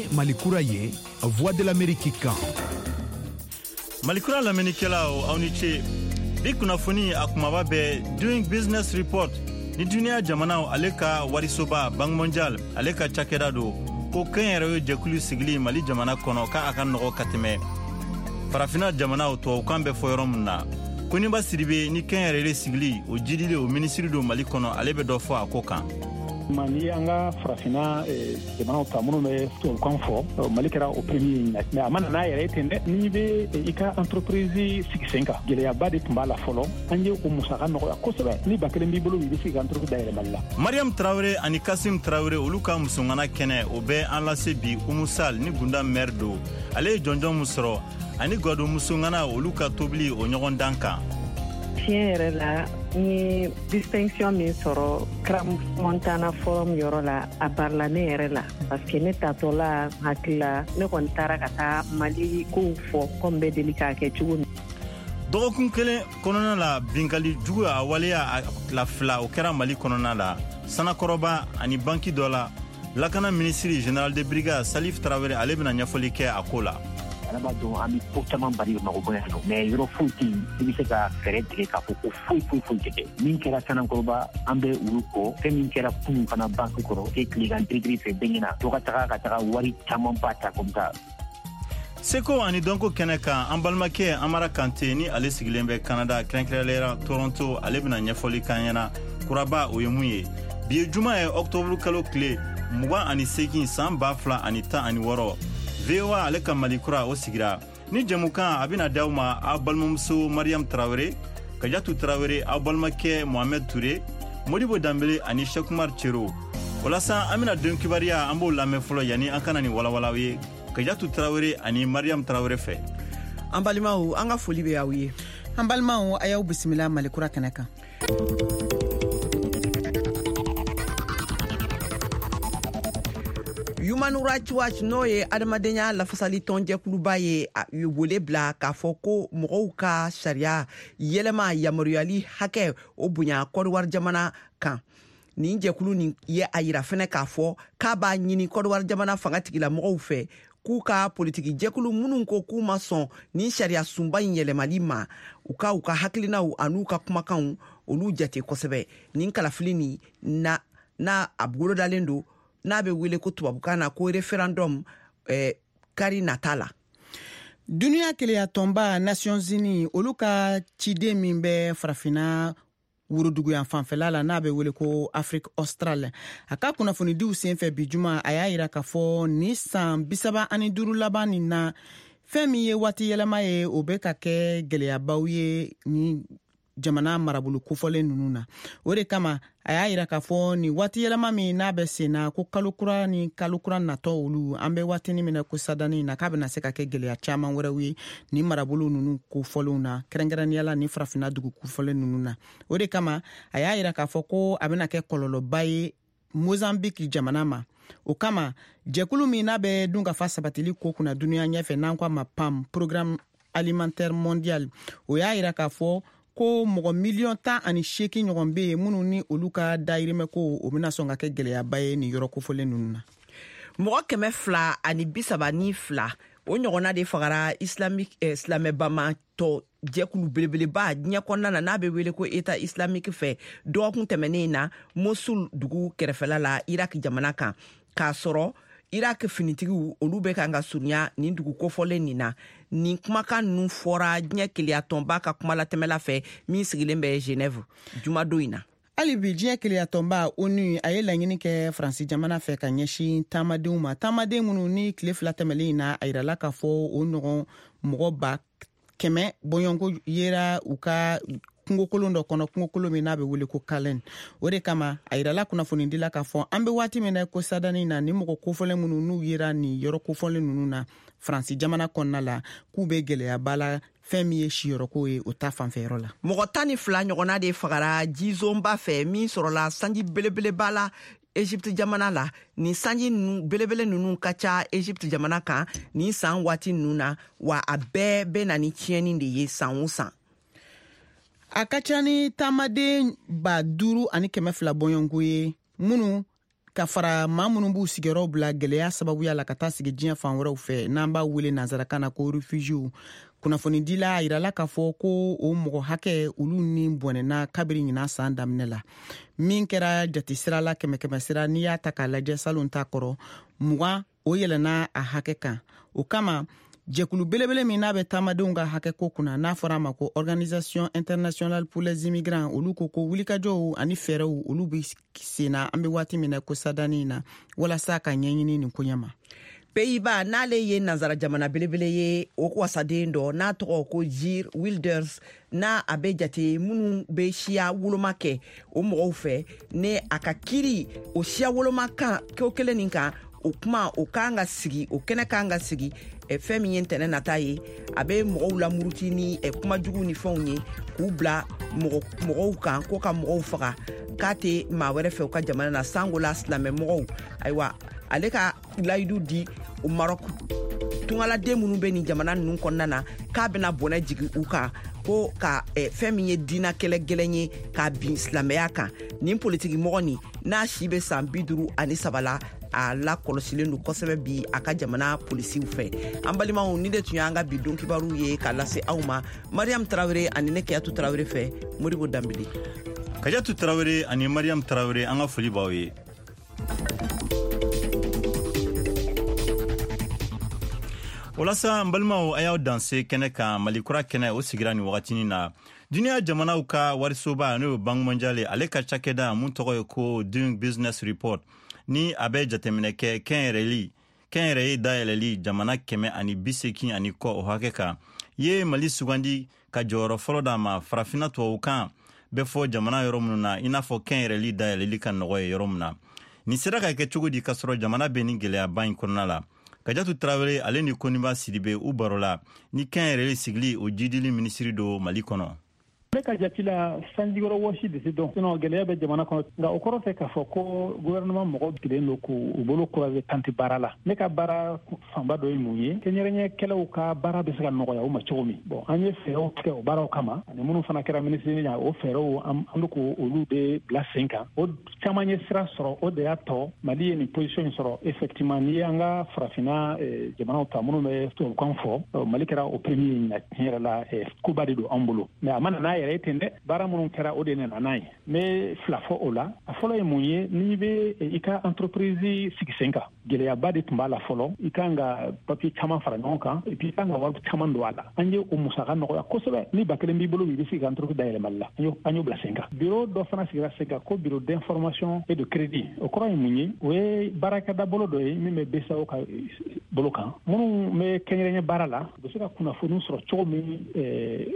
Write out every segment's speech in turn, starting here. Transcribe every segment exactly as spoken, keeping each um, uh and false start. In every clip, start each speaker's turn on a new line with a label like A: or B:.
A: ye Malikura ye, Voix de l'Amérique kan.
B: Malikura lamɛnnikɛlaw, aw ni ce. Bi kunnafoni a kumaba bɛ Doing Business Report ni duniya jamanaw ale ka warisoba Banque mondiale ale ka cakɛda don ko kɛnyɛrɛye jɛkulu sigili Mali jamana kɔnɔ k'a ka nɔgɔ ka tɛmɛ farafina jamanaw tubabukan bɛ fɔ yɔrɔ min na. Koniba Sidibe ni kɛnyɛrɛye sigili o jidili o minisiri don Mali kɔnɔ, ale bɛ dɔ fɔ a ko kan.
C: Ni an ka farafinna jamanaw ta minnu bɛ tubabukan fɔ, Mali kɛra o premier ye. Mais a ma na n'a yɛrɛ ye ten dɛ. N'i bɛ i ka entreprise sigi sen kan, gɛlɛyaba de tun b'a la fɔlɔ. An ye o musaka nɔgɔya kosɛbɛ. Ni ba kelen b'i bolo, i bɛ se ka entreprise dayɛlɛ Mali la.
B: Mariam Traoré ani Kasim Traoré olu ka musongana kɛnɛ o bɛ an lase bi. Umu Sall ni Gunda maire don, ale ye jɔnjɔn min sɔrɔ ani Gado musongana olu ka tobili o ɲɔgɔn dan kan.
D: Tiɲɛ yɛrɛ la, n ye distinction min sɔrɔ Crans Montana Forum yɔrɔ la, a barila ne yɛrɛ la, parce que ne tatɔla hakili la, ne kɔni taara ka taa Mali kow fɔ komi bɛ deli k'a kɛ cogo min.
B: Dɔgɔkun kelen kɔnɔna la, binkali jugu a waleya a tila fila o kɛra Mali kɔnɔna la, Sanakɔrɔba ani banki dɔ la. Lakana minisiri général de brigade Salif Traoré ale bɛna ɲɛfɔli kɛ a ko la.
E: Ala b'a dɔn an bɛ ko caman bali Bamakɔ yan nɔ, mais yɔrɔ foyi tɛ yen i bɛ se ka fɛɛrɛ tigɛ k'a fɔ ko foyi foyi foyi tɛ kɛ. Min kɛra Sanakɔrɔba, an bɛ olu kɔ. Fɛn min kɛra kunun fana banque kɔrɔ, e tilegan tirikiri fɛ bɛɛ ɲɛna, dɔ ka taga ka taga wari camanba ta comme ça.
B: Seko ani dɔnko kɛnɛ kan, an balimakɛ Amara Kante ni ale sigilen bɛ Canada, kɛrɛnkɛrɛnnenya Toronto, ale bɛna ɲɛfɔli k'an ɲɛna kuraba o ye mun ye. Bi ye juma ye, octobre kalo tile mugan ani seegin san ba fila ani tan ani wɔɔrɔ. V O A ale ka Mali kura o sigira ni jɛmukan a bɛna d'aw ma, aw balimamuso Mariam Traoré, Kajatu Traoré, aw balimakɛ Mohamed Touré, Modibo Danbele ani Cheikh Cero. O la sa, an bɛna don kibaruya, an b'o lamɛn fɔlɔ yanni an kana nin walawalaw ye Kajatu Traoré ani Mariam Traoré fɛ.
F: An balimaw, an ka foli bɛ aw ye.
G: An balimaw, a y'aw bisimila Mali kura kɛnɛ kan.
F: Human Rights Watch, n'o ye adamadenya lafasali tɔnjɛkuluba ye, ye wele bila k'a fɔ ko mɔgɔw ka sariya yɛlɛma yamaruyali hakɛ o bonya Kɔdiwari jamana kan. Nin jɛkulu nin ye a yira fɛnɛ k'a fɔ k'a b'a ɲini Kɔdiwari jamana fanga tigilamɔgɔw fɛ k'u ka politiki jɛkulu minnu ko k'u ma sɔn nin sariya sunba in yɛlɛmali ma, u ka u ka hakilinaw an'u ka kumakanw olu jate kosɛbɛ. Nin kalafili nin na n'a a bolodalen don, n'a bɛ wele ko tubabukan na ko référendum, eh, kari nata la.
G: Duniya keleya tɔnba Nations Unies olu ka ciden min bɛ farafinna woroduguyan fanfɛla la, n'a bɛ wele ko Afrique australe, a ka kunnafonidiw senfɛ bi juma, a y'a yira k'a fɔ ni san bisaba ani duuru laban nin na, fɛn min ye waati yɛlɛma ye, o bɛ ka kɛ gɛlɛyabaw ye ni jamana marabolo kofɔlen ninnu na. O de kama a y'a yira k'a fɔ nin waati yɛlɛma min n'a bɛ sen na, ko kalo kura ni kalo kura natɔ olu, an bɛ waatinin min na ko sadani na, k'a bɛna se ka kɛ gɛlɛya caman wɛrɛw ye nin marabolo ninnu kofɔlenw na, kɛrɛnkɛrɛnnenya la nin farafinna dugu kofɔlen ninnu na. O de kama a y'a yira k'a fɔ ko a bɛna kɛ kɔlɔlɔba ye Mozambique jamana ma. O kama jɛkulu min n'a bɛ dunkafa sabatili ko kunna duniya ɲɛfɛ, n'an ko a ma PAM, Programme Alimentaire Mondial, o y'a yira k'a fɔ ko mɔgɔ miliyɔn tan ani seegin ɲɔgɔn bɛ yen minnu ni olu ka dayirimɛ ko o bɛna sɔn ka kɛ gɛlɛyaba ye nin yɔrɔ kofɔlen ninnu na.
F: Mɔgɔ kɛmɛ fila ani bi saba ni fila o ɲɔgɔnna de fagara islamique eh, silamɛbamatɔ jɛkulu belebeleba diɲɛ kɔnɔna na, n'a bɛ wele ko État islamique fɛ, dɔgɔkun tɛmɛnen na Mosul dugu kɛrɛfɛla la Irak jamana kan, k'a sɔrɔ Irak finitigiw olu bɛ kan ka surunya nin dugu kofɔlen nin na. Nin kumakan ninnu fɔra diɲɛ keleya tɔnba ka kumalatɛmɛla fɛ min sigilen bɛ Genève jumadon in na.
G: Hali bi diɲɛ keleya tɔnba ONU a ye laɲini kɛ Faransi jamana fɛ ka ɲɛsin taamadenw ma, taamaden minnu ni tile fila tɛmɛlen in na, a yirala k'a fɔ o ɲɔgɔn mɔgɔ ba kɛmɛ bɔɲɔgɔnko yera u ka kungokolon dɔ kɔnɔ, kungokolon min n'a bɛ wele ko Kalen. O de kama a yirala kunnafonidila k'a fɔ an bɛ waati min na ko sadani na, ni mɔgɔ kofɔlen minnu n'u yera nin yɔrɔ kofɔlen ninnu na Faransi jamana kɔnɔna la, k'u bɛ gɛlɛyaba la fɛn min ye siyɔrɔko ye o ta fanfɛyɔrɔ la.
F: Mɔgɔ tan ni fila ɲɔgɔnna de fagara jizonba fɛ min sɔrɔla sanji belebeleba la Egypte jamana la. Nin sanji ninnu belebele ninnu ka ca Egypte jamana kan nin san waati ninnu na, wa a bɛɛ bɛ na ni tiɲɛni de ye san o san.
G: A ka ca ni taamaden ba duuru ani kɛmɛ fila bɔɲɔgɔnko ye minnu Ka fara maa minnu b'u sigiyɔrɔw bila gɛlɛya sababuya la ka taa sigi diɲɛ fan wɛrɛw fɛ, n'an b'a wele nansarakan na ko réfugiés, kunnafonidila a yirala k'a fɔ ko o mɔgɔ hakɛ olu ni bɔnɛna kabiri ɲinan san daminɛ la. Min kɛra jatesira la kɛmɛ kɛmɛ sira, n'i y'a ta k'a lajɛ salon ta kɔrɔ mugan, o yɛlɛnna a hakɛ kan. O kama, jɛkulu belebele min n'a bɛ taamadenw ka hakɛ ko kunna, n'a fɔra a ma ko Organisation internationale pour les immigrants, olu ko ko wulikajɔw ani fɛɛrɛw olu bɛ senna an bɛ waati min na ko sadani na, walasa ka ɲɛɲini nin koɲɛ ma.
F: Pays-Bas, n'ale ye nansara jamana belebele ye, o wasaden dɔ n'a tɔgɔ ko Geert Wilders, n'a a bɛ jate minnu bɛ siya woloma kɛ o mɔgɔw fɛ, ne a ka kiri o siya woloma kan ko kelen nin kan, o kuma o kan ka sigi, o kɛnɛ kan ka sigi fɛn min ye ntɛnɛn nata ye. A bɛ mɔgɔw lamuruti ni kumajugu ni fɛnw ye k'u bila mɔgɔw kan ko ka mɔgɔw faga, k'a tɛ maa wɛrɛ fɛ u ka jamana na, sango la silamɛmɔgɔw. Ayiwa, ale ka layidu di o Maroc tungaladen minnu bɛ nin jamana ninnu kɔnɔna na k'a bɛna bɔnɛ jigin u kan, ko ka fɛn min ye diinɛ kɛlɛ gɛlɛn ye k'a bin silamɛya kan. Nin politiki mɔgɔ nin n'a si bɛ san bi duuru ani saba la, a lakɔlɔsilen don kosɛbɛ bi a ka jamana polisiw fɛ. An balimaw, ni de tun y'an ka bi don kibaru ye k'a lase aw ma Mariam Tarawele ani ne Keyatu Tarawele fɛ. Modibo Danbele.
B: Kajatu Tarawele ani Mariam Tarawele, an ka foli b'aw ye. Walasa n balimaw, a y'aw danse kɛnɛ kan. Mali kura kɛnɛ o sigira nin wagatinin na. Duniya jamanaw ka warisoba, n'o ye Banque mondiale, ale ka cakɛda mun tɔgɔ ye ko Doing Business Report, ni a bɛ jateminɛ kɛ kɛnyɛrɛli kɛnyɛrɛye dayɛlɛli jamana kɛmɛ ani bi seegin ani kɔ o hakɛ kan, ye Mali sugandi ka jɔyɔrɔ fɔlɔ d'a ma farafinna tubabukan bɛ fɔ jamana yɔrɔ minnu na, i n'a fɔ kɛnyɛrɛli dayɛlɛli ka nɔgɔ ye yɔrɔ min na. Nin sera ka kɛ cogo di k'a sɔrɔ jamana bɛ nin gɛlɛyaba in kɔnɔna la? Kajatu Tarawele ale ni Koniba Sidibe u baro la ni kɛnyɛrɛye sigili o jidili minisiri don Mali kɔnɔ.
C: Ne ka jate la, sanjikɔrɔ wɔsi de tɛ dɔn, sinon gɛlɛya bɛ jamana kɔnɔ, nka o kɔrɔ tɛ k'a fɔ ko gouvernement mɔgɔ kelen don k'u bolo croiser kan tɛ baara la. Ne ka baara fanba dɔ ye mun ye? Kɛnyɛrɛɲɛkɛlaw ka baara bɛ se ka nɔgɔya u ma cogo min. Bon, an ye fɛɛrɛw tigɛ o baaraw kama, ani minnu fana kɛra minisiri ɲɛ, o fɛɛrɛw an bɛ k'olu de bila sen kan. O caman ye sira sɔrɔ, o de y'a tɔ Mali ye nin position in sɔrɔ. Effectivement, n'i y'an ka farafinna jamanaw ta minnu bɛ tubabukan fɔ, Mali kɛra o premier ye ɲinan. Tiɲɛ yɛrɛ la, koba de don an bolo, mais a ma na n'a yɛrɛ ten dɛ. Baara minnu kɛra, o de nana n'a ye. N bɛ fila fɔ o la. A fɔlɔ ye mun ye? N'i bɛ i ka entreprise sigi sen kan, gɛlɛyaba de tun b'a la fɔlɔ. I kan ka papier caman fara ɲɔgɔn kan, et puis i kan ka wari caman don a la. An ye o musaka nɔgɔya kosɛbɛ. Ni ba kelen b'i bolo, i bɛ se ka entreprise dayɛlɛ Mali la. An y'o bila sen kan. Bureau dɔ fana sigira sen kan ko bureau d'information et de crédit. O kɔrɔ ye mun ye? O ye baarakɛda bolo dɔ ye min bɛ B C E A O ka bolo kan. Minnu bɛ kɛnyɛrɛye baara la, u bɛ se ka kunnafoni sɔrɔ cogo min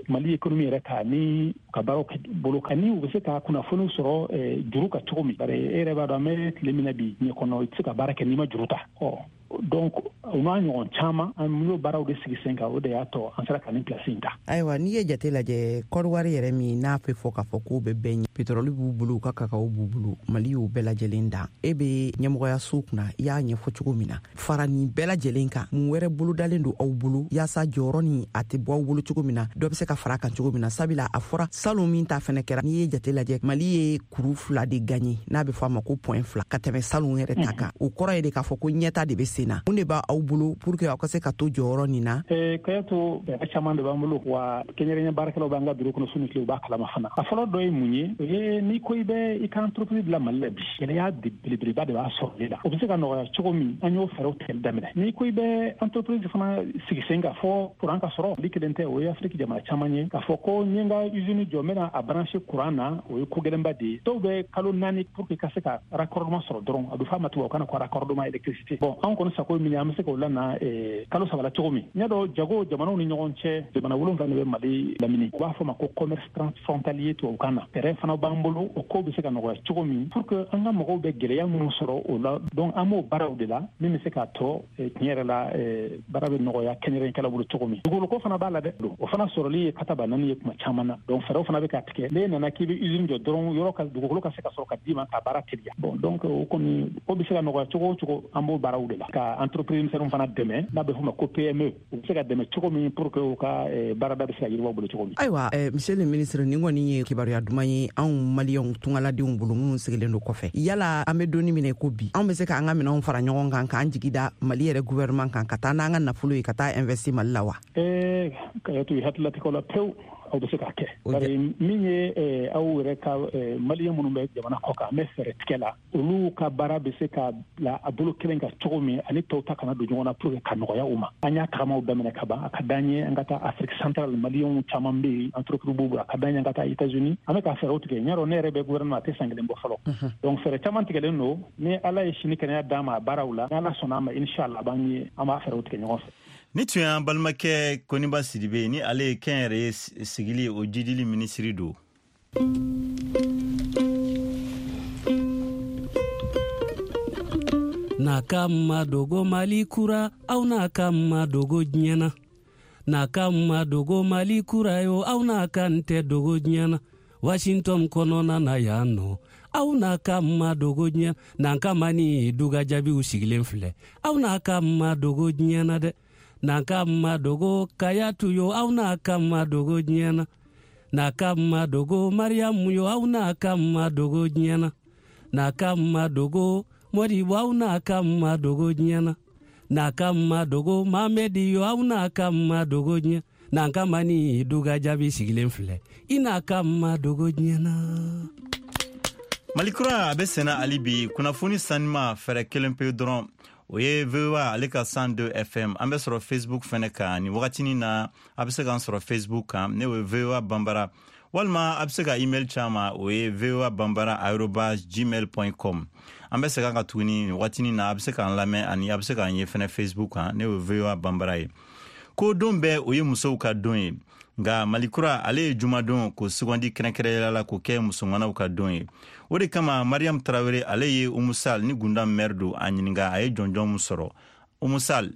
C: Mali économie yɛrɛ kan ni ka baaraw bolo kan, ni u bɛ se ka kunnafoni sɔrɔ juru ka cogo min. Bari e yɛrɛ b'a dɔn, an bɛ tile min na bi diɲɛ kɔnɔ, i tɛ se ka baara kɛ n'i ma juru ta. Ɔ donc o n'a ɲɔgɔn caman, an y'o baaraw de sigi sen kan. O de y'a tɔ an sera ka nin place in ta.
F: Ayiwa, n'i ye jate lajɛ, Kɔdiwari yɛrɛ min n'a bɛ fɔ k'a fɔ k'o bɛ bɛɛ ɲɛ, pétrole b'u bolo, u ka kakao b'u bolo, Mali y'o bɛɛ lajɛlen dan. E bɛ ɲɛmɔgɔyaso kunna, i y'a ɲɛfɔ cogo min na, fara nin bɛɛ lajɛlen kan, mun wɛrɛ bolodalen don aw bolo yaasa jɔyɔrɔ nin a tɛ bɔ aw bolo cogo min na, dɔ bɛ se ka fara a kan cogo min na? Sabula a fɔra salon min ta fɛnɛ kɛra, n'i ye jate lajɛ, Mali ye kuru fila de gagné, n'a bɛ fɔ a ma ko point fila, ka tɛmɛ salon yɛrɛ ta kan. O kɔrɔ ye de k'a fɔ ko ɲɛta de bɛ sen na. Mun de b'aw bolo pour que aw ka se ka to jɔyɔrɔ nin na?
C: Kayatu, fɛɛrɛ caman de b'an bolo wa kɛnyɛrɛye baarakɛlaw b'an ka biro kɔnɔ su ni tile, u b'a kalama fana. A fɔlɔ dɔ ye mun ye? O ye n'i ko i bɛ i ka entreprise bila Mali la bi, gɛlɛya belebeleba de b'a sɔrɔli la. O bɛ se ka nɔgɔya cogo min, an y'o fɛɛrɛw tigɛli daminɛ. N'i ko i bɛ entreprise fana sigi sen kan, fɔ courant ka sɔrɔ. Mali kelen tɛ, o ye Afiriki jamana caman ye. K'a fɔ ko n ye n ka usine jɔ, n bɛna a brancher courant na, o ye ko gɛlɛnba de ye. Dɔw bɛ kalo naani pour que ka se ka raccordement sɔrɔ dɔrɔn. A bɛ fɔ a ma tubabukan na ko raccordement électricité. Bon, an kɔni sago ye min ye, an bɛ se k'o lana kalo saba la cogo min. N y'a dɔn, jago jamanaw ni ɲɔgɔn cɛ, jamana wolonwula de bɛ Mali lamini, u b'a fɔ ma ko commerce transfrontalier tubabukan na. Fɛɛrɛ fana b'an bolo, o ko bɛ se ka nɔgɔya cogo min pour que an ka mɔgɔw bɛ gɛlɛya minnu sɔrɔ o la. Donc an b'o baaraw de la min bɛ se k'a tɔ tiɲɛ yɛrɛ la baara bɛ nɔgɔya kɛnyɛrɛkɛlaw bolo cogo min. Dugukolo fana b'a la dɛ, o fana sɔrɔli ye kataba naani ye kuma caman na. Donc fɛɛrɛw fana bɛ ka tigɛ. N'e nana k'i bɛ usine jɔ dɔrɔn, yɔrɔ ka dugukolo ka se ka sɔrɔ ka d'i ma ka baara teliya. Bon, donc o kɔni ko bɛ se ka nɔgɔya cogo o cogo, an b'o baaraw de la ka entreprise denmisɛnninw fana dɛmɛ n'a bɛ f'o ma ko P M E, u bɛ se ka dɛmɛ cogo min pour que u ka baarada bɛ se ka yiriwa u bolo cogo min.
F: Ayiwa, monsieur le ministre, nin kɔni ye kibaruya duman ye anw maliyɛnw tungaladenw bolo minnu sigilen don kɔfɛ. Yala an bɛ donni minɛ ko bi, anw bɛ se k'an ka minɛnw fara ɲɔgɔn kan k'an jigi da Mali yɛrɛ gouvernement kan ka taa n'an ka nafolo ye ka taa investir Mali la wa?
C: Ee, Kayatu, i hakililatigɛw la pewu, aw bɛ se k'a kɛ. Bari min ye aw yɛrɛ ka maliyɛn minnu bɛ jamana kɔ kan, an bɛ fɛɛrɛ tigɛ la olu ka baara bɛ se ka bila a bolo kelen kan cogo min ani tɔw ta kana don ɲɔgɔn na pour que ka nɔgɔya u ma. An y'a tagamaw daminɛ ka ban. A ka d'an ye an ka taa Afrique centrale, maliyɛnw caman bɛ yen, entreprise b'u bolo. A ka d'an ye an ka taa États-Unis. An bɛ ka fɛɛrɛw tigɛ. N y'a dɔn ne yɛrɛ bɛ gouvernement a tɛ san kelen bɔ fɔlɔ. Donc fɛɛrɛ caman tigɛlen don. Ni Ala ye sini kɛnɛya d'an ma a baaraw la, ni Ala sɔnna a ma, inshallah, a b'an ye, an b'a fɛɛrɛw tigɛ ɲɔgɔn fɛ.
B: Ni tun y'an balimakɛ Koniba Sidibe, ni ale ye kɛnyɛrɛye sigili o jidili minisiri don.
H: N'a ka ma dogo Mali kura, aw n'a ka ma dogo diɲɛ na. N'a ka ma dogo Mali kura yo, aw n'a ka n tɛ dogo diɲɛ na. Washington kɔnɔna na yan nɔ, aw n'a ka ma dogo diɲɛ na. N'an ka ma ni duga jaabiw sigilen filɛ, aw n'a ka ma dogo diɲɛ na dɛ. N'a ka ma dogo Kayatu yo, aw n'a ka ma dogo diɲɛ na. N'a ka ma dogo Mariamu yo, aw n'a ka ma dogo diɲɛ na. N'a ka ma dogo Modibo, aw n'a ka ma dogo diɲɛ na. N'a ka ma dogo Mamedi yo, aw n'a ka ma dogo diɲɛ. N'an ka ma ni duga jaabi sigilen filɛ, i n'a ka ma dogo diɲɛ na.
B: Mali kura a bɛ senna hali bi. Kunnafoni sanima fɛɛrɛ kelen pe dɔrɔn, o ye V O A ale ka cent deux F M. An bɛ sɔrɔ Facebook fɛnɛ kan nin wagatinin na. A bɛ se k'an sɔrɔ Facebook kan, ne o ye V O A Banbara, walima a bɛ se ka email caman, o ye V O A Banbara arobase gmail point com. An bɛ segin ka tuguni nin wagatinin na, a bɛ se k'an lamɛn ani a bɛ se k'an ye fɛnɛ Facebook kan, ne o ye V O A Banbara ye. Ko don bɛɛ o ye musow ka don ye, nka Mali kura ale ye jumadon k'o sugandi kɛrɛnkɛrɛnnenya la k'o kɛ musomanw ka don ye. O de kama Mariam Tarawele ale ye Umu Sall ni Gundam maire don a ɲininka a ye jɔnjɔn mun sɔrɔ. Umu Sall.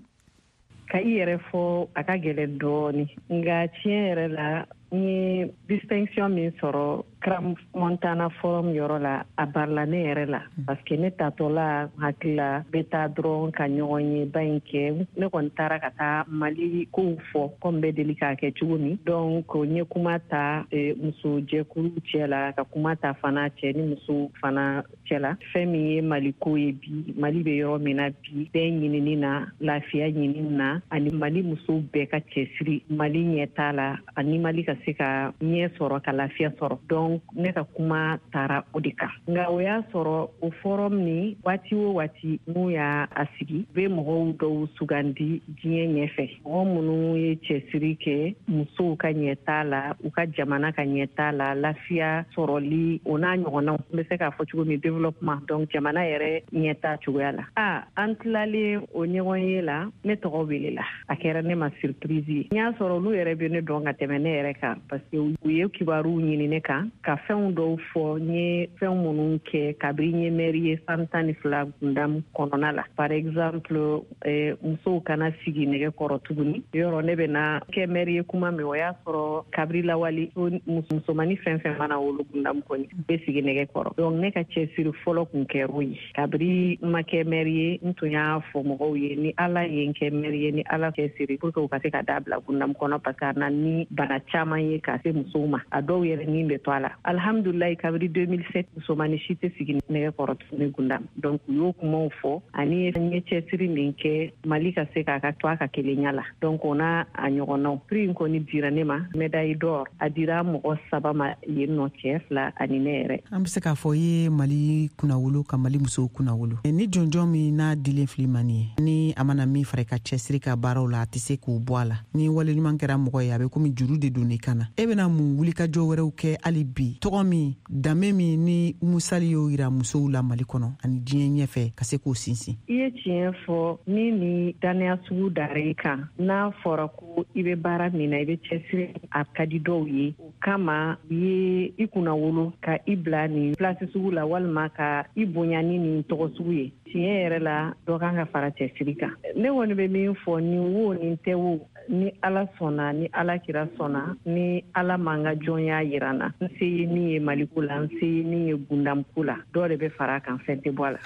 D: Ka i yɛrɛ fɔ a ka gɛlɛn dɔɔni, nka tiɲɛ yɛrɛ la n ye distinction min sɔrɔ Crans Montana Forum yɔrɔ la, a barila ne yɛrɛ la, parce que ne tatɔ la hakili la bɛ taa dɔrɔn ka ɲɔgɔn ye ba in kɛ. Ne kɔni taara ka taa Mali kow fɔ komi bɛ deli k'a kɛ cogo min. Donc n ye kuma ta muso jɛkulu cɛ la, ka kuma ta fana cɛ ni muso fana cɛ la. Fɛn min ye Mali ko ye bi, Mali bɛ yɔrɔ min na bi, bɛɛ ɲinini na, lafiya ɲinini na, ani Mali musow bɛɛ ka cɛsiri Mali ɲɛtaa la, ani Mali ka se ka ɲɛ sɔrɔ, ka lafiya sɔrɔ. Donc ne ka kuma taara o de kan. Nka o y'a sɔrɔ o forum ni waati o waati n'u y'a sigi, u bɛ mɔgɔw dɔw sugandi diɲɛ ɲɛfɛ, mɔgɔ minnu ye cɛsiri kɛ musow ka ɲɛtaa la, u ka jamana ka ɲɛtaa la, lafiya sɔrɔli, o n'a ɲɔgɔnnaw. N bɛ se k'a fɔ cogo min développement, donc jamana yɛrɛ ɲɛtaa cogoya la. A an tilalen o ɲɔgɔn ye la, ne tɔgɔ welela. A kɛra ne ma surprise ye. N y'a sɔrɔ olu yɛrɛ bɛ ne dɔn ka tɛmɛ ne yɛrɛ kan, parce que u ye kibaruw ɲini ne kan, ka fɛnw dɔw fɔ, n ye fɛn minnu kɛ kabini n ye maire ye san tan ni fila Gundam kɔnɔna la. Par exemple, eh, musow kana sigi nɛgɛ kɔrɔ tuguni. Yɔrɔ ne bɛna kɛ maire ye kuma min, o y'a sɔrɔ kabiri lawale musomanni fɛn fɛn mana wolo Gundam kɔni bɛ sigi nɛgɛ kɔrɔ. Donc ne ka cɛsiri fɔlɔ kun kɛr'o ye. Kabiri n ma kɛ maire ye, n tun y'a fɔ mɔgɔw ye, ni Ala ye n kɛ maire ye, ni Ala cɛsiri pour que u ka se ka da bila Gundam kɔnɔ, parce que a na ni bana caman ye ka se musow ma, a dɔw yɛrɛ ni bɛ to a la. Alhamdulilayi, kabiri deux mille sept musomanni si tɛ sigi nɛgɛ kɔrɔ tuguni Gundam. Donc u y'o kumaw fɔ, ani n ye cɛsiri min kɛ Mali ka se k'a ka to a ka kelenya la. Donc o n'a a ɲɔgɔnnaw. Prix in kɔni dira ne ma, médaille d'or, a dira mɔgɔ saba ma yen nɔ, cɛ fila ani ne yɛrɛ.
G: An bɛ se k'a fɔ i ye Mali kunnawolo ka Mali musow kunnawolo. Ni jɔnjɔn min n'a dilen fili ma nin ye, ni a mana min fara i ka cɛsiri ka baaraw la, a tɛ se k'o bɔ a la. Ni wale ɲuman kɛra mɔgɔ ye, a bɛ komi juru de don i kan na. E bɛna mun wulikajɔ wɛrɛw kɛ hali bi, tɔgɔ min, danbe min ni Umu Sall y'o yira musow la Mali kɔnɔ ani diɲɛ ɲɛfɛ, ka se k'o sinsin?
D: I ye tiɲɛ fɔ. Min ni dannaya sugu dara i kan, n'a fɔra ko i bɛ baara min na, i bɛ cɛsiri, a ka di dɔw ye. O kama u ye i kunnawolo ka i bila nin place sugu la, walima ka i bonya ni nin tɔgɔ sugu ye. Tiɲɛ yɛrɛ la, dɔ kan ka fara cɛsiri kan. Ne kɔni bɛ min fɔ, nin wo nin tɛ wo, ni Ala sɔnna, ni Ala kira sɔnna, ni Ala m'an ka jɔnya yira n na, n se ye min ye Maliko la, n se ye min ye Gundamko la, dɔ de bɛ fara a kan, fɛn tɛ bɔ a la.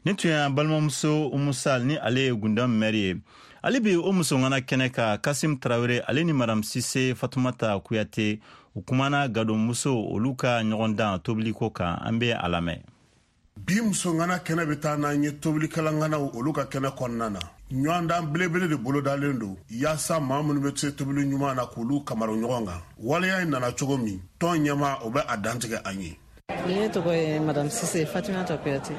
B: Nin tun y'an balimamuso Umu Sall, ni ale ye Gundam maire ye. Ale bi o musoŋana kɛnɛ kan, Kasim Tarawele ale ni Madame Sise Fatumata Kuyate, u kumana gadonmuso olu ka ɲɔgɔndan tobiliko kan. An bɛ a lamɛn.
I: Bi musoŋana kɛnɛ bɛ taa n'an ye tobilikalanŋanaw olu ka kɛnɛ kɔnɔna na. Ɲɔgɔndan belebele de bolodalen don yaasa maa minnu bɛ se tobili ɲuman na k'olu kamaru ɲɔgɔn kan. Waleya in nana cogo min, tɔn ɲɛmaa o bɛ a dantigɛ an ye.
J: Ne tɔgɔ ye Madame Sise Fatimata Kuyate.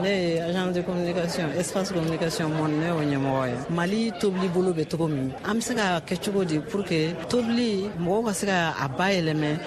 J: Ne ye agent de communication Espace Communication Monde, ne y'o ɲɛmɔgɔ ye. Mali tobili bolo bɛ cogo min, an bɛ se ka kɛ cogo di pour que tobili mɔgɔw ka se ka a bayɛlɛmɛ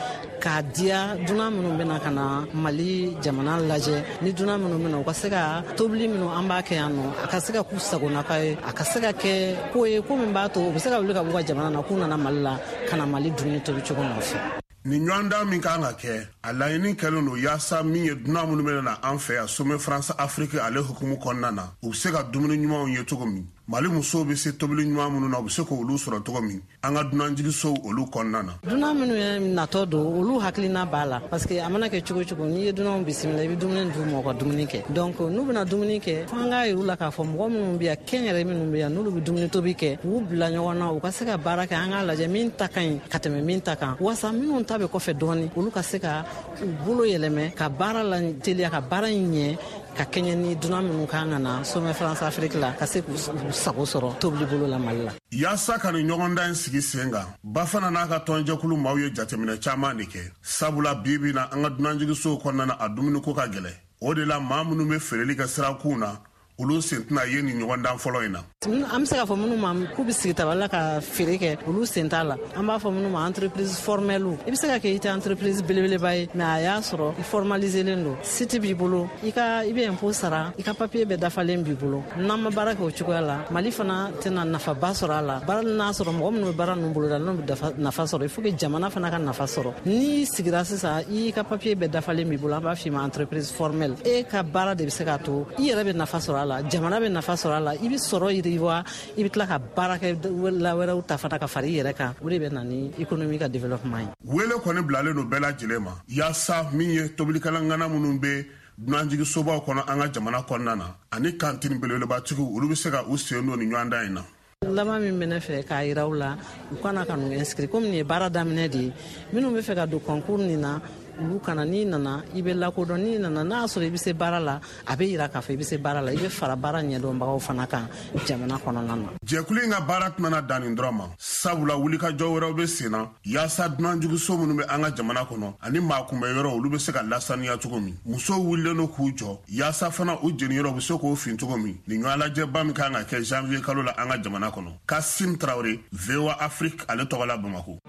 J: k'a diya dunan minnu bɛna ka na Mali jamana lajɛ, ni dunan minnu bɛna, u ka se ka tobili minnu an b'a kɛ yan nɔ, a ka se ka k'u sagonaka ye, a ka se ka kɛ ko ye ko min b'a to u bɛ se ka wuli ka b'u ka jamana na k'u nana Mali la ka na Mali dumuni tobi cogo nɔfɛ.
I: Nin ɲɔgɔndan min kan ka kɛ, a laɲini kɛlen don yaasa min ye dunan minnu bɛna na an fɛ yan Sommet France Afrique ale hukumu kɔnɔna na, u bɛ se ka dumuni ɲumanw ye cogo min, Mali musow bɛ se tobili ɲuman minnu na, u bɛ se k'olu sɔrɔ cogo min an ka dunanjigisow olu kɔnɔna na.
J: Dunan minnu ye natɔ don, olu hakilina b'a la, parce que a mana kɛ cogo cogo, n'i ye dunanw bisimila, i bɛ dumuni d'u ma, u ka dumuni kɛ. Donc n'u bɛna dumuni kɛ, fo an k'a yir'u la k'a fɔ mɔgɔ minnu bɛ yan, kɛnyɛrɛ minnu bɛ yan, n'olu bɛ dumuni tobi kɛ, k'u bila ɲɔgɔn na, u ka se ka baara kɛ. An k'a lajɛ min ta ka ɲi ka tɛmɛ min ta kan, walasa minnu ta bɛ kɔfɛ dɔɔni, olu ka se ka u bolo yɛlɛmɛ ka baara la teliya, ka baara in ɲɛ ka kɛɲɛ ni dunan minnu kan ka na Sommet France Afrique la, ka se k'u sago sɔrɔ tobili bolo la Mali la.
I: Yaasa ka nin ɲɔgɔndan in sigi sen kan, Bafana n'a ka tɔnjɛkulu maaw ye jateminɛ caman de kɛ, sabula bi bi na an ka dunanjigisow kɔnɔna na, a dumuniko ka gɛlɛn. O de la maa minnu bɛ feereli kɛ sirakunw na, olu sen tɛna ye nin ɲɔgɔndan fɔlɔ in na.
J: An bɛ se k'a fɔ minnu ma k'u bɛ sigi tabali la ka feere kɛ, olu sen t'a la. An b'a fɔ minnu ma entreprise formelle. I bɛ se ka kɛ i tɛ entreprise belebeleba ye, mais a y'a sɔrɔ i formaliselen don, site b'i bolo, i ka i bɛ impôt sara, i ka papier bɛɛ dafalen b'i bolo. N'an ma baara kɛ o cogoya la, Mali fana tɛna nafaba sɔrɔ a la. Baara n'a sɔrɔ mɔgɔ minnu bɛ baara ninnu boloda, n'u bɛ nafa sɔrɔ, il faut que jamana fana ka nafa sɔrɔ. N'i sigira sisan, i ka papier bɛɛ dafalen b'i bolo, an b'a f'i ma entreprise formelle. E ka baara de bɛ se k'a to i yɛrɛ bɛ nafa sɔrɔ a la, jamana bɛ nafa sɔrɔ a la, i bɛ sɔrɔ yiriwa, i bɛ tila ka baarakɛla wɛrɛw ta fana ka fara i yɛrɛ kan. O de bɛ na ni économie ka développement ye.
I: Wele kɔni bilalen don bɛɛ lajɛlen ma yaasa min ye tobilikalanŋana minnu bɛ dunanjigisobaw kɔnɔ an ka jamana kɔnɔna na ani kantini belebelebatigiw, olu bɛ se ka u sen don nin ɲɔgɔndan in na.
J: Laban min bɛ ne fɛ k'a yira u la, u kana ka n'u inscrit komi nin ye baara daminɛ de ye. Minnu bɛ fɛ ka don concours nin na, olu kana. N'i nana, i bɛ lakodɔn. N'i nana, n'a y'a sɔrɔ i bɛ se baara la, a bɛ yira k'a fɔ i bɛ se baara la, i bɛ fara baara ɲɛdɔnbagaw fana kan jamana kɔnɔna na.
I: Jɛkulu in ka baara tɛna dan nin dɔrɔn ma, sabula wulikajɔ wɛrɛw bɛ sen na yaasa dunanjigiso minnu bɛ an ka jamana kɔnɔ ani maakunbɛyɔrɔ, olu bɛ se ka lasaniya cogo min. Musow wulilen don k'u jɔ yaasa fana u jeniyɔrɔ bɛ se k'o fin cogo min nin ɲɔgɔnlajɛba min kan ka kɛ janvier kalo la an ka jamana kɔnɔ. Kasim Tarawele, V O A Afrique ale tɔgɔ la, Bamakɔ.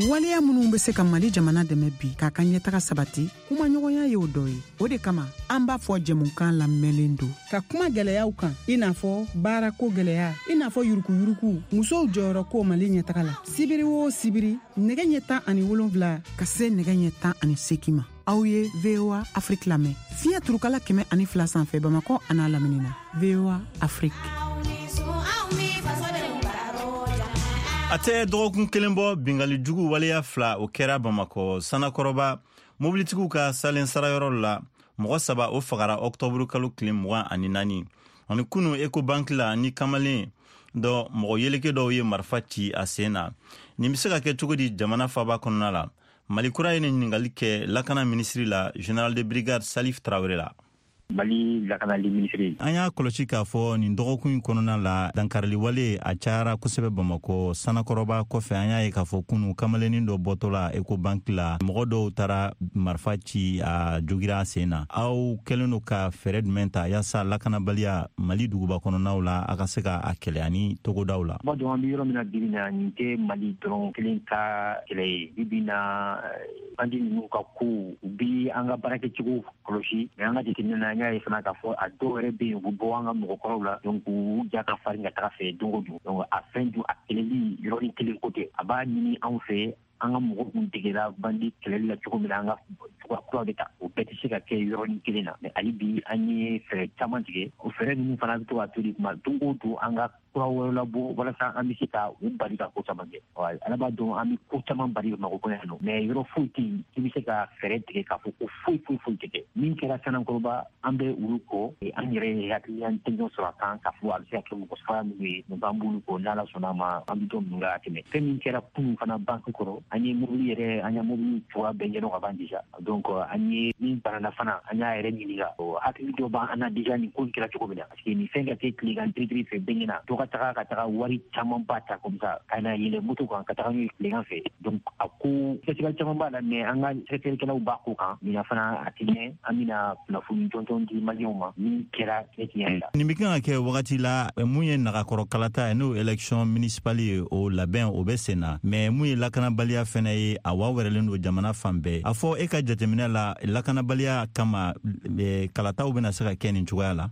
G: Waleya minnu bɛ se ka Mali jamana dɛmɛ bi k'a ka ɲɛtaga sabati, kumaɲɔgɔnya y'o dɔ ye. O de kama an b'a fɔ jɛmukan lamɛnlen don ka kuma gɛlɛyaw kan, i n'a fɔ baarako gɛlɛya, i n'a fɔ yurukuyuruku, musow jɔyɔrɔ ko Mali ɲɛtaga la. Sibiri o sibiri, nɛgɛ ɲɛ tan ani wolonfila ka se nɛgɛ ɲɛ tan ani seegin ma, aw ye V O A Afrique lamɛn fiɲɛ turukala kɛmɛ ani fila sanfɛ, Bamakɔ an'a lamini na. V O A Afrique.
B: A tɛ dɔgɔkun kelen bɔ, bingali jugu waleya fila o kɛra Bamakɔ Sanakɔrɔba mobilitigiw ka salen sarayɔrɔ la. Mɔgɔ saba o fagara ɔktɔburu kalo tile mugan ani naani. Ani kunu Ecobank la, ni kamalen dɔ mɔgɔ yeleke dɔw ye marifa ci a sen na. Nin bɛ se ka kɛ cogo di jamana faaba kɔnɔna la? Mali kura ye nin ɲininkali kɛ lakana minisiri la, général de brigade Salif Traoré la.
E: Mali lakanali minisiri.
B: An y'a kɔlɔsi k'a fɔ nin dɔgɔkun in kɔnɔna la, dankariliwale a cayara kosɛbɛ Bamakɔ Sanakɔrɔba kɔfɛ. An y'a ye k'a fɔ kunu kamalennin dɔ bɔtɔ la Ecobank la, mɔgɔ dɔw taara marifa ci, a jogira a sen na. Aw kɛlen don ka fɛɛrɛ jumɛn ta yaasa lakanabaliya Mali duguba kɔnɔnaw la, a ka se ka a kɛlɛ ani togodaw la?
E: B'a dɔn an bɛ yɔrɔ min na bi bi na, nin tɛ Mali dɔrɔn kelen ka kɛlɛ ye. Bi bi na, bandi ninnu ka kow, u bi an ka baarakɛcogo kɔlɔsi, mais an ka jateminɛ na, an y'a ye fana k'a fɔ a dɔw yɛrɛ bɛ yen, u bɛ bɔ an ka mɔgɔkɔrɔw la, donc u ja ka farin ka taga fɛ don o don. Donc a fɛn dun, a kɛlɛli yɔrɔnin kelen ko tɛ. A b'a ɲini anw fɛ, an ka mɔgɔw kun degera bandi kɛlɛli la cogo min na, an ka cogoya kuraw de ta. O bɛɛ tɛ se ka kɛ yɔrɔnin kelen na, mais hali bi an ye fɛɛrɛ caman tigɛ. O fɛɛrɛ ninnu fana bɛ to ka to de kuma don o don an ka kura wɛrɛ labɔ walasa an bɛ se ka u bali ka ko caman kɛ. Ala b'a dɔn an bɛ ko caman bali Bamakɔ yan nɔ, mais yɔrɔ foyi tɛ yen i bɛ se ka fɛɛrɛ tigɛ k'a fɔ ko foyi foyi foyi tɛ kɛ. Min kɛra Sanankɔrɔba, an bɛ olu kɔ, an yɛrɛ ye hakilina tɛɲɔ sɔrɔ a kan k'a fɔ a bɛ se ka kɛ mɔgɔ faga minnu ye, donc an b'olu kɔ, n'Ala sɔnna a ma an bɛ dɔ ninnu la ka tɛmɛ. Fɛn min kɛra kunun fana banque kɔrɔ, an ye mobili yɛrɛ, an ye mobili cogoya bɛɛ ɲɛdɔn ka ban déjà. Donc an ye min banana fana, an y'a yɛrɛ ɲininka, hakili dɔ b'an na déjà nin ko in kɛra cogo min na, parce que nin fɛn ka kɛ tilegan tiritiri fɛ bɛɛ ɲɛna, dɔ ka taga ka taga wari camanba ta comme ça ka na yɛlɛ moto kan ka taga n'u ye tilegan fɛ. Donc a ko sɛgɛsɛgɛli caman b'a la, mais an ka sɛgɛsɛgɛlikɛlaw b'a ko kan ɲinan fana a tɛ mɛn, an bɛna kunnafoni jɔnjɔn di maliyɛnw ma min kɛra ne tiɲɛ yɛrɛ la.
B: Nin bɛ kan ka kɛ wagati la mun ye nagakɔrɔ kalata ye, n'o élection municipale ye, o labɛn o bɛ sen na, mais mun ye lakanabaliya fɛnɛ ye, a wa wɛrɛlen don jamana fan bɛɛ. A fɔ e ka jateminɛ la, lakanabaliya kama kalataw bɛna se ka kɛ nin cogoya la?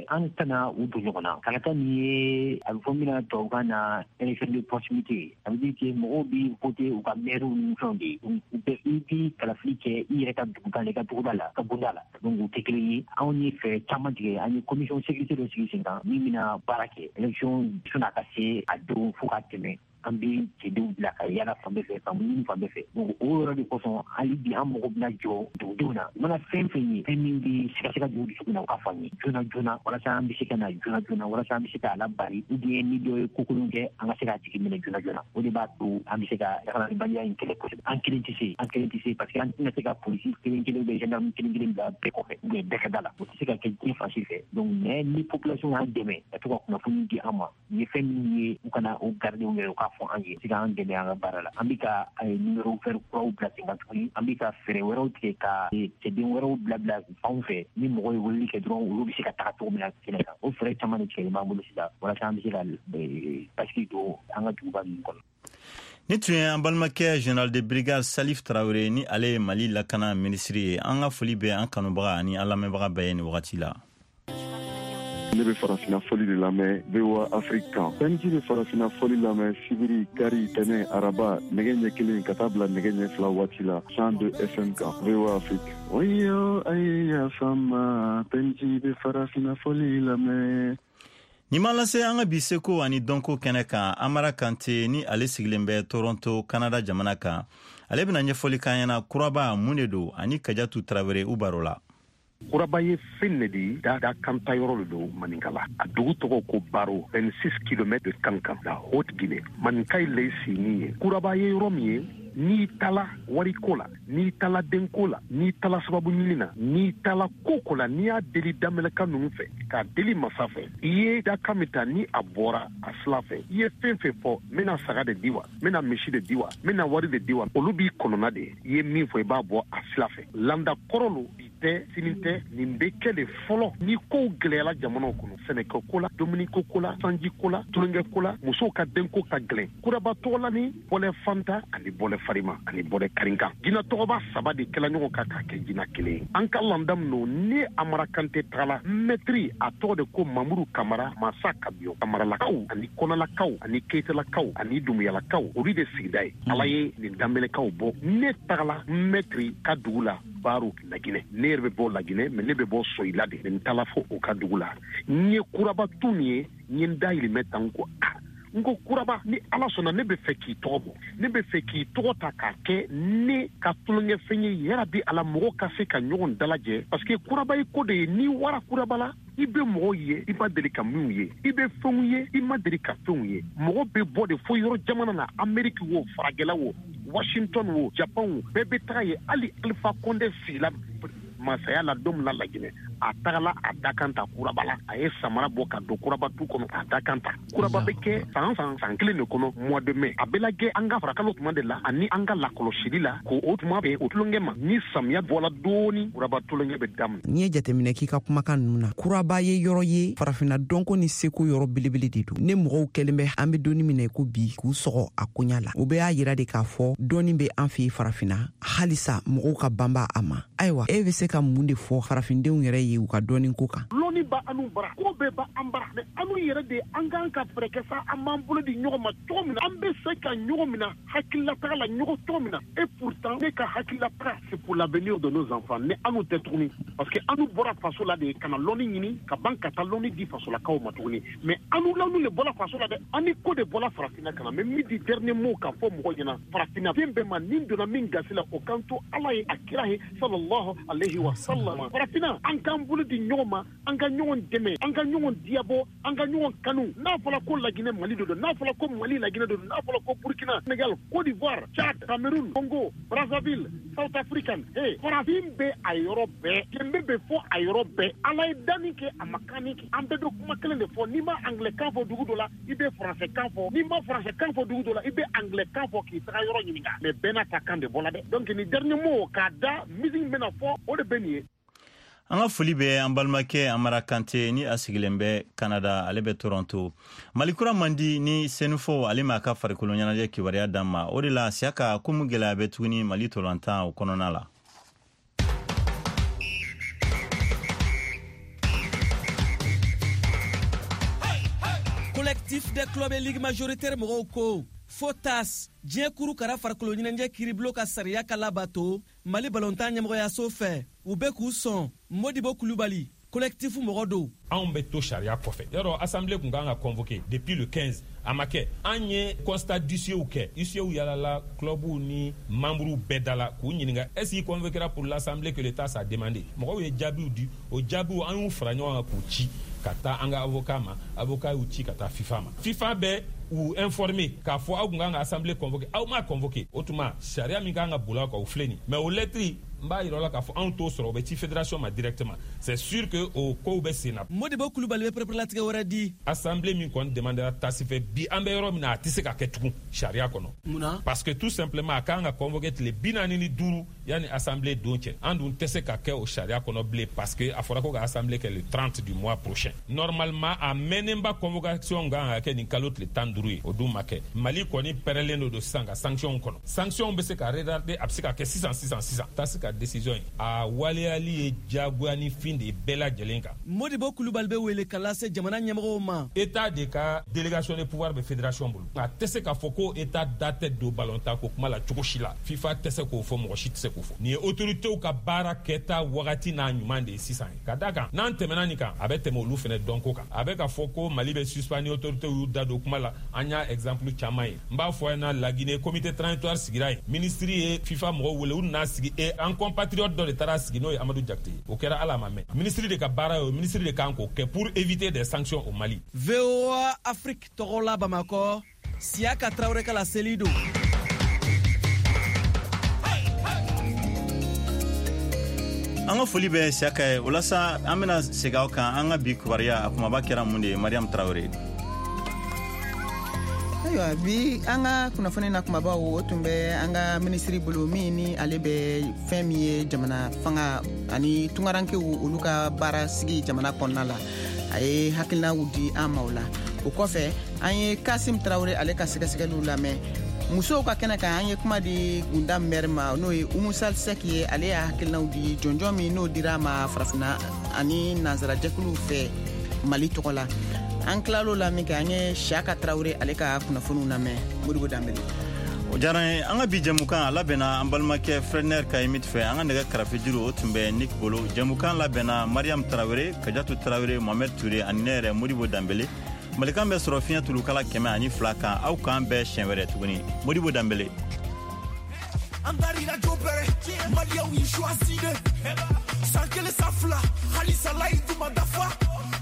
E: An tɛna u don ɲɔgɔn na. Kalata nin ye a bɛ fɔ min na tubabukan na élection de proximité, ça veut dire que mɔgɔw bɛ voter u ka maire ni fɛnw de ye. U bɛ i bɛ kalafili kɛ i yɛrɛ ka dugu kan, i ka duguda la, ka bonda la. Donc u tɛ kelen ye. Anw ye fɛɛrɛ caman tigɛ, an ye commission sécurité dɔ sigi sen kan min bɛna baara kɛ élection sɔnni a ka se a don fo ka tɛmɛ. An bɛ cɛdenw bila ka yala fan bɛɛ fɛ, ka munumunu fan bɛɛ fɛ. Donc o yɔrɔ de kosɔn hali bi an mago bɛna jɔ dugudenw na. U mana fɛn fɛn ye, fɛn min bɛ sigasɛgɛ dugu dusukun na, u k'a fɔ an ye joona joona walasa an bɛ se ka na joona joona, walasa an bɛ se k'a labari, ou bien ni dɔ ye ko kolon kɛ, an ka se k'a tigi minɛ joona joona. O de b'a to an bɛ se ka lakanabaliya in kɛlɛ kosɛbɛ. An kelen tɛ se, an kelen tɛ se, parce que an tɛna se ka polisi kelen kelen ou gendarme kelen kelen bila bɛɛ kɔfɛ ou bien bɛɛ ka da la. O tɛ se ka kɛ diɲɛ fan si fɛ. Donc mais ni population y'an dɛmɛ ka to ka kunnafoni di an ma, u ye fɛn minnu ye, u kana o garder u yɛrɛ, u k'a fɔ an ye, se k'an dɛmɛ an ka baara la. An bɛ ka numéro vert kuraw bila sen kan tuguni, an bɛ ka fɛɛrɛ wɛrɛw tigɛ ka cɛden wɛrɛw bila bila fanw fɛ, ni mɔgɔ ye weleli kɛ dɔrɔn olu bɛ se ka taga cogo min na kɛnɛ kan. O fɛɛrɛ caman de tigɛlen b'an bolo sisan walasa an bɛ se ka basigi don an ka duguba ninnu kɔnɔ.
B: Ni tun ye an balimakɛ général de brigade Salif Traoré, ni ale ye Mali lakana minisiri ye. An ka foli bɛ an kanubaga ani an lamɛnbaga bɛɛ ye nin wagati la.
K: Ne bɛ farafinna fɔli de lamɛn V O A Afrique kan. P N J bɛ farafinna fɔli lamɛn sibiri, kari, tɛnɛ, araba, nɛgɛ ɲɛ kelen ka taa bila nɛgɛ ɲɛ fila waati la cent deux F M kan V O A Afrique. Oyo aye ya fama, P N J bɛ farafinna fɔli lamɛn.
B: Nin m'an lase an ka bi seko ani dɔnko kɛnɛ kan. Amara Kante, ni ale sigilen bɛ Toronto, Canada jamana kan, ale bɛna ɲɛfɔli k'an ɲɛna kuraba mun de don, ani Kajatu Tarawele u baro la.
L: Kuraba ye fɛn ne de da da kanta yɔrɔ de don Maninkala. A dugu tɔgɔ ko Baro, vingt-six kilomètres de Kankan, la Haute-Guinée. Maninka ye lɛsini ye. Kuraba ye yɔrɔ min ye, n'i taala wariko la, n'i taala denko la, n'i taala sababu ɲini na, n'i taala ko ko la, n'i y'a deli daminɛka ninnu fɛ, k'a deli masa fɛ, i ye dakan min ta ni a bɔra a sila fɛ, i ye fɛn fɛn fɔ, n bɛna saga de di wa, n bɛna misi de di wa, n bɛna wari de di wa, olu b'i kɔnɔna de ye. I ye min fɔ, i b'a bɔ a sila fɛ. Landa kɔrɔ lo, bi tɛ, sini tɛ, nin bɛ kɛ de fɔlɔ ni kow gɛlɛyara jamanaw kɔnɔ, sɛnɛkɛ ko la, dumuniko ko la, sanji ko la, tulonkɛ ko la, musow ka denko ka gɛlɛn. Kuraba tɔgɔ la ni bɔlɛ fanta ani bɔlɛ farima ani bɔlɛ karinkan, jinɛ tɔgɔba saba de kɛla ɲɔgɔn kan k'a kɛ jinɛ kelen ye. An ka landa min don, ni Amara Kante tagala, mɛtiri a tɔgɔ de ko Mamuru Kamara, masa Kabiyo. Kamaralakaw ani Kɔnɔlakaw ani Keyitalakaw ani Dumuyalakaw, olu de sigida ye. Ala ye nin danbelekaw bɔ. Ne tagala mɛtiri ka dugu la, Baro, Laginɛ. Ne yɛrɛ bɛ bɔ Laginɛ, mais ne bɛ bɔ Soyila de. N taala fo o ka dugu la, n ye kuraba tu min ye, n ye n dahirimɛ ta, n ko a n ko kuraba, ni Ala sɔnna, ne bɛ fɛ k'i tɔgɔ bɔ, ne bɛ fɛ k'i tɔgɔ ta k'a kɛ ne ka tulonkɛfɛn ye, yarabi Ala mɔgɔ ka se ka ɲɔgɔn dalajɛ, parce que kuraba ye ko de ye. N'i wara kuraba la, i bɛ mɔgɔw ye i ma deli ka minnu ye, i bɛ fɛnw ye i ma deli ka fɛnw ye. Mɔgɔ bɛ bɔ de fo yɔrɔ jamana na, Amérique wo, faragɛla wo, Washington wo, Japan wo, bɛɛ bɛ taga ye. Hali Alpha Condé sigila masaya la don min na Laginɛ, a tagala a dakan ta kuraba la, a ye samara bɔ ka don kuraba tu kɔnɔ, a dakan ta. Kuraba bɛ kɛ san san san kelen de kɔnɔ, mois de mai. A bɛ lajɛ an ka farakalo tuma de la ani an ka lakɔlɔsili la, k'o o tuma bɛn o tulonkɛ ma. Ni samiya bɔla dɔɔni, kuraba tulonkɛ bɛ daminɛ.
F: N'i ye jateminɛ k'i ka kumakan ninnu na, kuraba ye yɔrɔ ye farafinna dɔnko ni seko yɔrɔ belebele de don. Ne mɔgɔw kɛlen bɛ an bɛ donni minɛ ko bi k'u sɔgɔ a koɲa la, o bɛɛ y'a yira de k'a fɔ dɔɔni bɛ an fɛ farafinna, halisa mɔgɔw ka banba a ma. Ayiwa, e bɛ se ka mun de fɔ farafindenw yɛrɛ ye u ka dɔɔni ko kan?
L: Lɔnni Lɔnni ba anu bara, ko bɛɛ ba an bara, mais anu yɛrɛ de an kan ka fɛɛrɛ kɛ sa, an b'an bolo di ɲɔgɔn ma cogo min na, an bɛ se ka ɲɔgɔn minɛ hakililataga la ɲɔgɔn cogo min na. Et pourtant ne ka hakililataga, c'est pour l'avenir de nos enfants. Ne anu tɛ tuguni, parce que anu bɔra faso la de ka na lɔnni ɲini ka ban ka taa lɔnni di fasolakaw ma tuguni. Mais anu lanu le bɔra faso la dɛ, ani ko de bɔra farafinna ka na. Mais min di dernier mot k'a fɔ mɔgɔw ɲɛna, farafinna den bɛɛ ma, nin donna min gasi la, o kan to Ala ye, a kira ye sallallahu alayhi wa sallam. Farafinna, an k'an bolo di ɲɔgɔn ma, an ka ɲɔgɔn dɛmɛ, an ka ɲɔgɔn diyabɔ, an ka ɲɔgɔn kanu. N'a fɔra ko Laginɛ Mali de don, n'a fɔra ko Mali Laginɛ de don, n'a fɔra ko Burkina, Sénégal, Côte d'Ivoire, Tchad, Cameroun, Congo, Brazzaville, South African, hey, farafin bɛ a yɔrɔ bɛɛ, jɛnbe bɛ fɔ a yɔrɔ bɛɛ. Ala ye danni kɛ, a ma kanni kɛ. An bɛɛ bɛ kuma kelen de fɔ. N'i ma anglais kan fɔ dugu dɔ la, i bɛ français kan fɔ. N'i ma français kan fɔ dugu dɔ la, i bɛ anglais kan fɔ k'i taga yɔrɔ ɲininka. Mais bɛɛ n'a ta kan de bɔla dɛ. Donc ni dernier mot k'a da musique bɛna fɔ, o de bɛ nin ye.
B: An ka foli bɛ an balimakɛ Amara Kante ni a sigilen bɛ Canada, ale bɛ Toronto. Mali kura man di ni Senufo ale m'a ka farikolo ɲɛnajɛ kibaruya d'an ma. O de la Siyaka, komi gɛlɛya bɛ tuguni Mali tolantan o kɔnɔna la.
H: Collectif des clubs et ligues majoritaires mɔgɔw ko fo TAS diɲɛ kuru kara farikolo ɲɛnajɛ kiribulon ka sariya ka labato Mali balontan ɲɛmɔgɔyaso fɛ. U bɛ k'u sɔn. Modibo Kulubali, collectif mɔgɔ don.
M: Anw bɛ to sariya kɔfɛ. Yɔrɔ assemblée kun kan ka convoquer depuis le quinze, a ma kɛ. An ye constat d'huissier kɛ. Huissier yalala clubw ni membres bɛɛ da la k'u ɲininka, est-ce qu'il convoquera pour l'assemblée que l'État a demandé. Mɔgɔw ye jaabiw di, o jaabiw an y'u fara ɲɔgɔn kan k'u ci ka taa an ka avocat ma, avocat y'u ci ka taa FIFA ma. FIFA bɛ u informer k'a fɔ aw kun kan ka assemblée convoquer, aw m'a convoquer. O tuma sariya min kan ka boli aw kan, o filɛ nin. Mais o lettre n b'a yira la k'a fɔ anw t'o sɔrɔ, o bɛ ci fédération ma directement. C'est sûr que o kow bɛ sen na.
H: Modibo Kulubali bɛ pɛrɛpɛrɛlatigɛ wɛrɛ di.
M: Assemblée min kɔni demandera TAS fɛ bi, an bɛ yɔrɔ min na, a tɛ se ka kɛ tugun sariya kɔnɔ.
H: Munna?
M: Parce que tout simplement a kan ka convoquer tile bi naani ni duuru yanni assemblée don cɛ. An dun tɛ se ka kɛ o sariya kɔnɔ bilen, parce que a fɔra ko ka assemblée kɛ le trente du mois prochain. Normalement a mɛnnenba convocation kan ka kɛ nin kalo tile tan ni duuru ye, o dun ma kɛ. Mali kɔni pɛrɛlen don sisan ka sanction kɔnɔ. Sanction bɛ se ka retarder, a bɛ se ka kɛ sisan sisan sisan. TAS ka décision ye, a waleyali ye diyagoya ni fin de ye bɛɛ lajɛlen kan.
H: Modibo Kulubali bɛ wele ka lase jamana ɲɛmɔgɔw ma.
M: État de ka délégation de pouvoir bɛ fédération bolo. A tɛ se k'a fɔ ko État da tɛ don ballontan ko kuma la cogo si la. FIFA tɛ se k'o fɔ, mɔgɔ si tɛ se k'o fɔ. Nin ye autorités ka baara kɛta wagati n'a ɲuman de ye sisan ye. Ka d'a kan n'an tɛmɛna nin kan, a bɛ tɛmɛ olu fɛnɛ dɔnko kan. A bɛ ka fɔ ko Mali bɛ suspend, autorités y'u da don kuma la. An y'a exemple caman ye. N b'a fɔ a ɲɛna, Laginɛ comité transitoire sigira yen. Ministre ye FIFA mɔgɔw wele, u nana sigi e an compatriote dɔ de taara sigi, n'o ye Amadou Diakité ye. O kɛra Ala ma mɛn. Ministre de ka baara ye o, ministre de kan k'o kɛ pour éviter des sanctions au Mali.
H: V O A Afrique tɔgɔ la Bamakɔ, Siyaka Traoré ka laseli don.
B: An ka foli bɛ Siyaka ye. O la sa, an bɛna segin aw kan an ka bi kibaruya a kumaba kɛra mun de ye, Mariam Traoré?
G: Ayiwa, bi an ka kunnafoni na kumabaw, o tun bɛ an ka minisiri bolo min ni ale bɛ fɛn min ye jamana fanga ani tungarankew olu ka baara sigi jamana kɔnɔna la. A ye hakilinaw di an ma o la. O kɔfɛ an ye Kasim Traoré ale ka sɛgɛsɛgɛliw lamɛn. Musow ka kɛnɛ kan, an ye kuma di Gunda mɛri ma, n'o ye Umusal Sek ye. Ale y'a hakilinaw di jɔnjɔn min n'o dira a ma farafinna ani nansarajɛkuluw fɛ Mali tɔgɔ la. An tilal'o la min kɛ, an ye Siyaka Traoré ale ka kunnafoniw lamɛn. Modibo Danbele.
B: O diyara n ye. An ka bi jɛmukan a labɛnna an balimakɛ Fredner Kayimit fɛ. An ka nɛgɛ karafejuru o tun bɛ Nick bolo. Jɛmukan labɛnna Mariam Traoré, Kajatu Traoré, Mohamed Touré ani ne yɛrɛ Modibo Danbele. Malikan bɛ sɔrɔ fiɲɛ tulukala kɛmɛ ani fila kan. Aw k'an bɛɛ siɲɛ wɛrɛ tuguni. Modibo Danbele.
N: An darila jobere, Maliyaw y'i choisi de. San kelen san fila, halisa layidu ma dafa.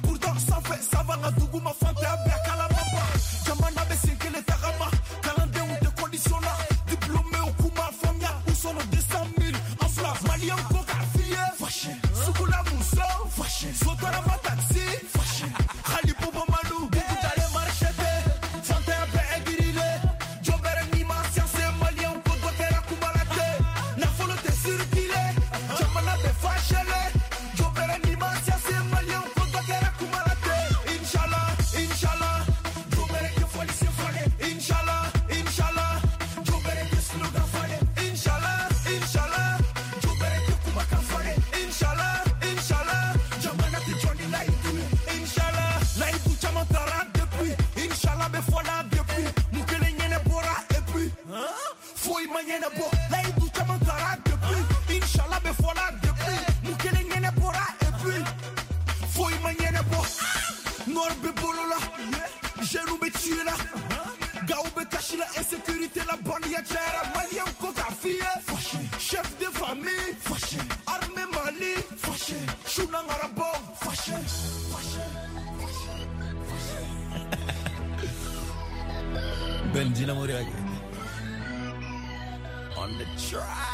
N: Pourtant sanfɛ sava nka duguma fantanya bɛɛ kalama ba. Jamana bɛ sen kelen tagama, kalandenw tɛ condition na. Diplôméw k'u ma faamuya, u sɔnna deux cent mille en fila. Maliyɛnw ko k'a f'i ye, sugula muso, sotarama taxi, hali Bobo Malu, bugu dalen marché tɛ, fantanya bɛɛ aigrilen. Jɔnbɛrɛ n'i ma science, maliyɛnw ko dɔ kɛra kuma la tɛ. Nafolo tɛ circuler, jamana bɛ fâché. Shunangara bon, fâché, fâché.
O: Benji na Moriage. On the track.